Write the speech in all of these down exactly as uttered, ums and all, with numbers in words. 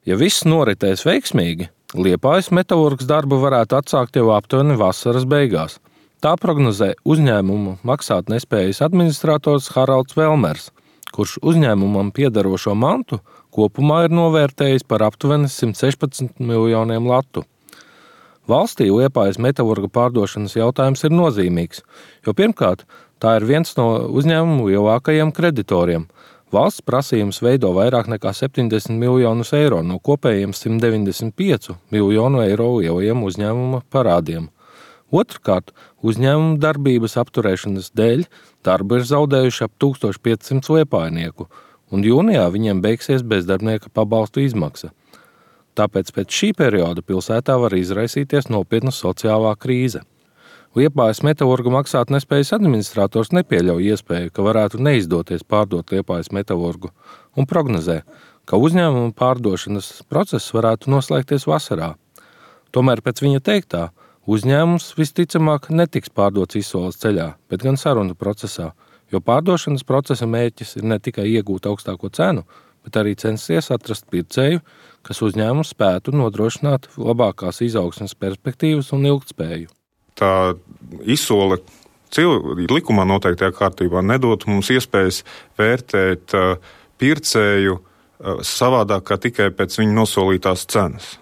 Ja viss noritēs veiksmīgi, Liepājas metalurgs darbu varētu atsākt jau aptuveni vasaras beigās. Tā prognozē uzņēmumu maksātnespējas administrators Haralds Velmers, kurš uzņēmumam piederošo mantu kopumā ir novērtējis par aptuveni simt sešpadsmit miljoniem latu. Valstī Liepājas metalurga pārdošanas jautājums ir nozīmīgs, jo pirmkārt, tā ir viens no uzņēmumu lielākajiem kreditoriem. Valsts prasījums veido vairāk nekā septiņdesmit miljonus eiro no kopējiem simt deviņdesmit pieci miljonu eiro lielajiem uzņēmuma parādiem. Otrkārt, uzņēmuma darbības apturēšanas dēļ darbu ir zaudējuši ap tūkstoš piecsimt liepājnieku, un jūnijā viņiem beigsies bezdarbnieka pabalstu izmaksa. Tāpēc pēc šī perioda pilsētā var izraisīties nopietna sociālā krīze. Liepājas metalurga maksātnespējas administrators nepieļauj iespēju, ka varētu neizdoties pārdot Liepājas metalurgu, un prognozē, ka uzņēmuma pārdošanas process varētu noslēgties vasarā. Tomēr pēc viņa teiktā, uzņēmums visticamāk netiks pārdots izsoles ceļā, bet gan sarunu procesā, jo pārdošanas procesa mērķis ir ne tikai iegūt augstāko cenu, bet arī censties atrast pircēju, kas uzņēmumu spētu nodrošināt labākās izaugsmes perspektīvas un ilgtspēju. Tā izsole likumā noteiktajā kārtībā nedot mums iespējas vērtēt pircēju savādāk kā tikai pēc viņa nosolītās cenas.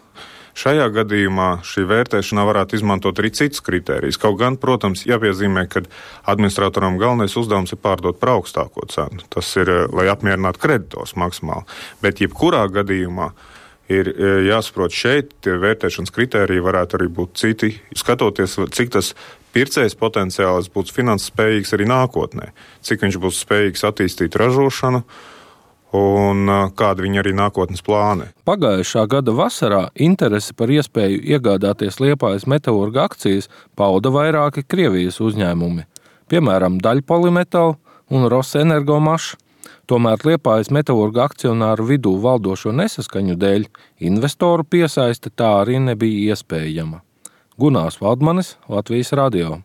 Šajā gadījumā šī vērtēšanā varētu izmantot arī citus kritērijus. Kaut gan, protams, jāpiezīmē, ka administratoram galvenais uzdevums ir pārdot par augstāko cenu. Tas ir, lai apmierinātu kreditors maksimāli. Bet jebkurā gadījumā ir jāsaprot šeit, tie vērtēšanas kritēriji varētu arī būt citi, skatoties, cik tas pircējs potenciāls būs finanses spējīgs arī nākotnē, cik viņš būs spējīgs attīstīt ražošanu un kāda viņa arī nākotnes plāni. Pagājušā gada vasarā interesi par iespēju iegādāties Liepājas metalurga akcijas pauda vairāki Krievijas uzņēmumi, piemēram, Daļpolimetal un Rosenergomaš. Tomēr Liepājas metalurga akcionāru vidū valdošo nesaskaņu dēļ investoru piesaiste tā arī nebija iespējama. Gunārs Valdmanis, Latvijas radio.